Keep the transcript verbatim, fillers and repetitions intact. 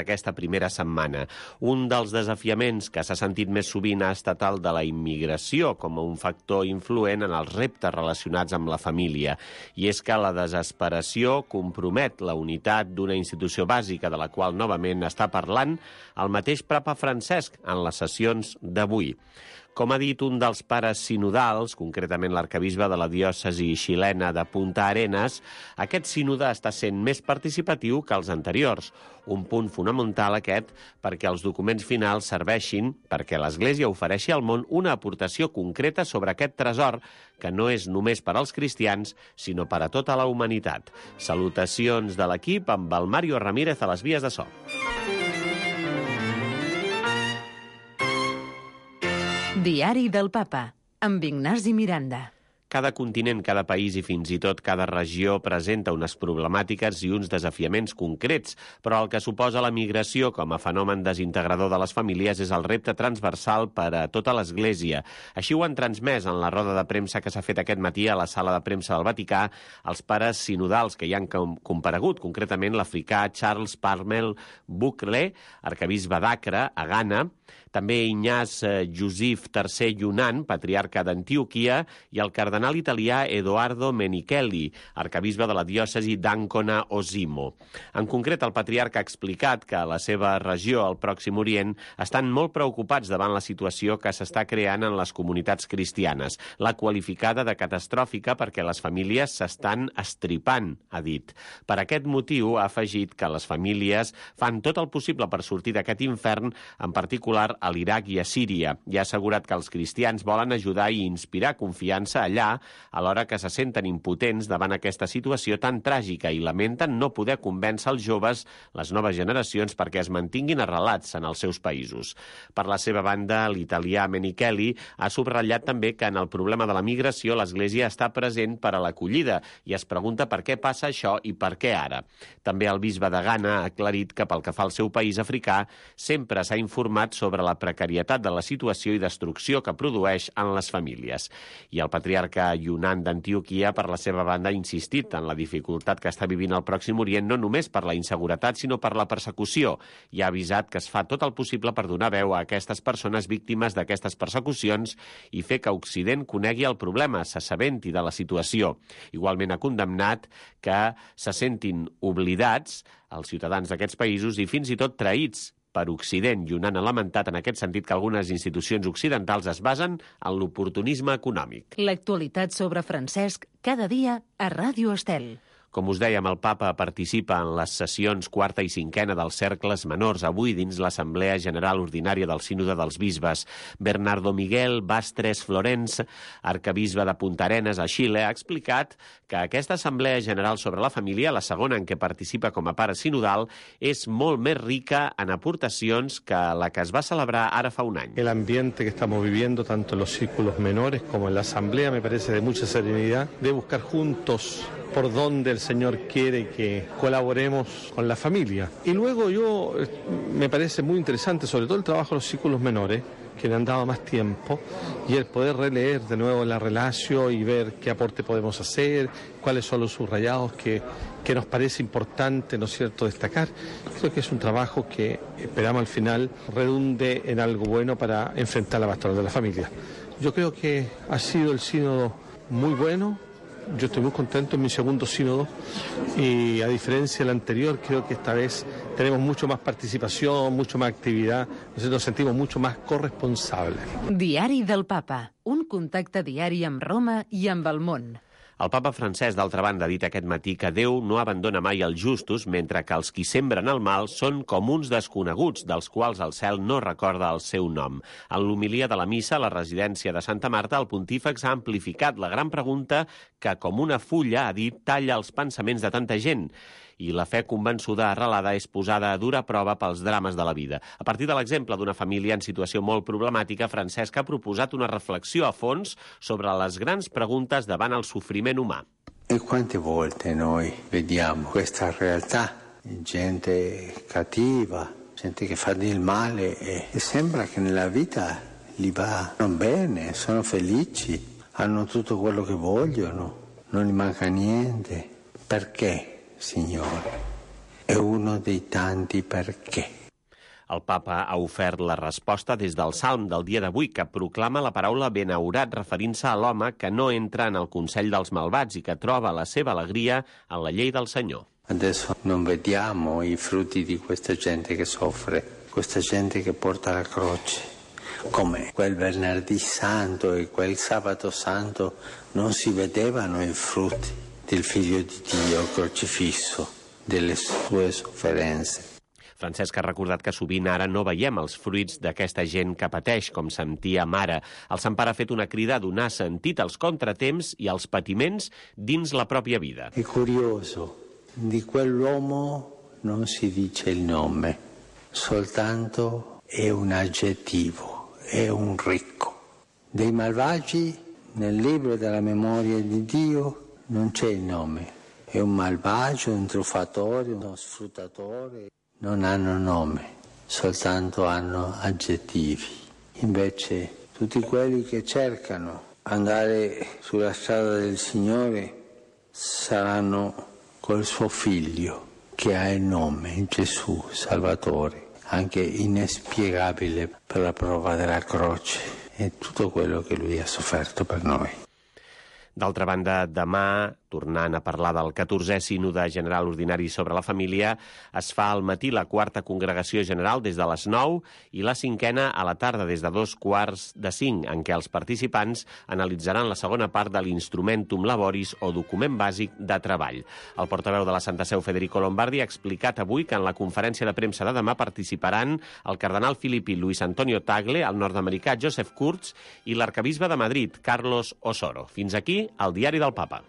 aquesta primera setmana. Un dels desafiaments que s'ha sentit més sovint ha estat el de la immigració com a un factor influent en els reptes relacionats amb la família. I és que la desesperació compromet la unitat d'una institució bàsica de la qual novament està parlant el mateix papa Francesc en les sessions d'avui. Com ha dit un dels pares sinodals, concretament l'arquebisbe de la diòcesi xilena de Punta Arenas, aquest sínode està sent més participatiu que els anteriors. Un punt fonamental aquest perquè els documents finals serveixin perquè l'Església ofereixi al món una aportació concreta sobre aquest tresor que no és només per als cristians, sinó per a tota la humanitat. Salutacions de l'equip amb el Mario Ramírez a les vies de so. Diari del Papa, amb Ignasi Miranda. Cada continent, cada país i fins i tot cada regió presenta unes problemàtiques i uns desafiaments concrets, però el que suposa la migració com a fenomen desintegrador de les famílies és el repte transversal per a tota l'Església. Així ho han transmès en la roda de premsa que s'ha fet aquest matí a la sala de premsa del Vaticà els pares sinodals que hi han comparegut, concretament l'africà Charles Parmel Bukle, arquebisbe d'Acre, a Ghana, també Ignaz Josif tercer Yunnan, patriarca d'Antioquia, i el cardenal italià Edoardo Menichelli, arquebisbe de la diòcesi d'Ancona Osimo. En concret, el patriarca ha explicat que a la seva regió, al Pròxim Orient, estan molt preocupats davant la situació que s'està creant en les comunitats cristianes, la qualificada de catastròfica perquè les famílies s'estan estripant, ha dit. Per aquest motiu, ha afegit que les famílies fan tot el possible per sortir d'aquest infern, en particular a l'Iraq i a Síria, i ha assegurat que els cristians volen ajudar i inspirar confiança allà, alhora que se senten impotents davant aquesta situació tan tràgica i lamenten no poder convèncer els joves, les noves generacions, perquè es mantinguin arrelats en els seus països. Per la seva banda, l'italià Menichelli ha subratllat també que en el problema de la migració l'Església està present per a l'acollida i es pregunta per què passa això i per què ara. També el bisbe de Ghana ha aclarit que pel que fa al seu país africà sempre s'ha informat sobre la precarietat de la situació i destrucció que produeix en les famílies. I el patriarca Yunnan d'Antioquia, per la seva banda, ha insistit en la dificultat que està vivint el Pròxim Orient no només per la inseguretat, sinó per la persecució, i ha avisat que es fa tot el possible per donar veu a aquestes persones víctimes d'aquestes persecucions i fer que Occident conegui el problema, s'assabenti de la situació. Igualment ha condemnat que se sentin oblidats els ciutadans d'aquests països i fins i tot traïts per Occident, i Yunnan ha lamentat en aquest sentit que algunes institucions occidentals es basen en l'oportunisme econòmic. L'actualitat sobre Francesc cada dia a Ràdio Estel. Com us dèiem, el papa participa en les sessions quarta i cinquena dels cercles menors, avui dins l'Assemblea General Ordinària del Sínode dels Bisbes. Bernardo Miguel Bastres Florenç, arquebisbe de Punta Arenas, a Xile, ha explicat que aquesta Assemblea General sobre la Família, la segona en què participa com a pare sinodal, és molt més rica en aportacions que la que es va celebrar ara fa un any. El ambiente que estamos viviendo, tanto en los círculos menores como en la Asamblea, me parece de mucha serenidad, de buscar juntos por donde el Señor quiere que colaboremos con la familia. Y luego yo, me parece muy interesante, sobre todo el trabajo de los círculos menores, que le han dado más tiempo, y el poder releer de nuevo la relación y ver qué aporte podemos hacer, cuáles son los subrayados que, que nos parece importante, ¿no es cierto?, destacar. Creo que es un trabajo que esperamos al final redunde en algo bueno para enfrentar la pastoral de la familia. Yo creo que ha sido el sínodo muy bueno. Yo estoy muy contento en mi segundo sínodo y a diferencia del anterior creo que esta vez tenemos mucho más participación, mucho más actividad, nos sentimos mucho más corresponsables. Diari del Papa, un contacte diari amb Roma i amb el món. El papa Francesc, d'altra banda, ha dit aquest matí que Déu no abandona mai els justos, mentre que els qui sembren el mal són com uns desconeguts, dels quals el cel no recorda el seu nom. En l'homilia de la missa a la residència de Santa Marta, el pontífex ha amplificat la gran pregunta que, com una fulla, ha dit, talla els pensaments de tanta gent. I la fe convençuda arrelada és posada a dura prova pels drames de la vida. A partir de l'exemple d'una família en situació molt problemàtica, Francesc ha proposat una reflexió a fons sobre les grans preguntes davant el sofriment humà. E quante volte noi vediamo questa realtà, gente cattiva, gente che fa del male e, e sembra che nella vita gli va bene, sono felici, hanno tutto quello che vogliono, non gli manca niente. Perché? Signore, è uno dei tanti perché. El papa ha ofert la resposta des del Salm del dia d'avui, que proclama la paraula benaurat referint-se a l'home que no entra en el consell dels malvats i que troba la seva alegria en la llei del Senyor. Adesso non vediamo i frutti di questa gente che soffre, questa gente che porta la croce, come quel venerdì santo e quel sabato santo non si vedevano i frutti del figlio di Dio crocifisso, delle sue sofferenze. Francesc ha recordat que sovint ara no veiem els fruits d'aquesta gent que pateix, com sentia Mare. El Sant Pare ha fet una crida a donar sentit als contratemps i als patiments dins la pròpia vida. È curioso, di quell'uomo non si dice il nome, soltanto è un aggettivo, è un ricco. Dei malvagi, nel libro della memoria di Dio, non c'è il nome. È un malvagio, un truffatore, uno sfruttatore. Non hanno nome, soltanto hanno aggettivi. Invece tutti quelli che cercano andare sulla strada del Signore saranno col suo figlio che ha il nome, Gesù, Salvatore, anche inespiegabile per la prova della croce e tutto quello che lui ha sofferto per noi. D'altra banda, demà, tornant a parlar del catorzè Sínode General Ordinari sobre la Família, es fa al matí la quarta congregació general des de les nou i la cinquena a la tarda des de dos quarts de cinc, en què els participants analitzaran la segona part de l'Instrumentum Laboris o document bàsic de treball. El portaveu de la Santa Seu, Federico Lombardi, ha explicat avui que en la conferència de premsa de demà participaran el cardenal filipí Luis Antonio Tagle, el nord-americà Joseph Kurz i l'arcabisbe de Madrid, Carlos Osoro. Fins aquí el Diari del Papa.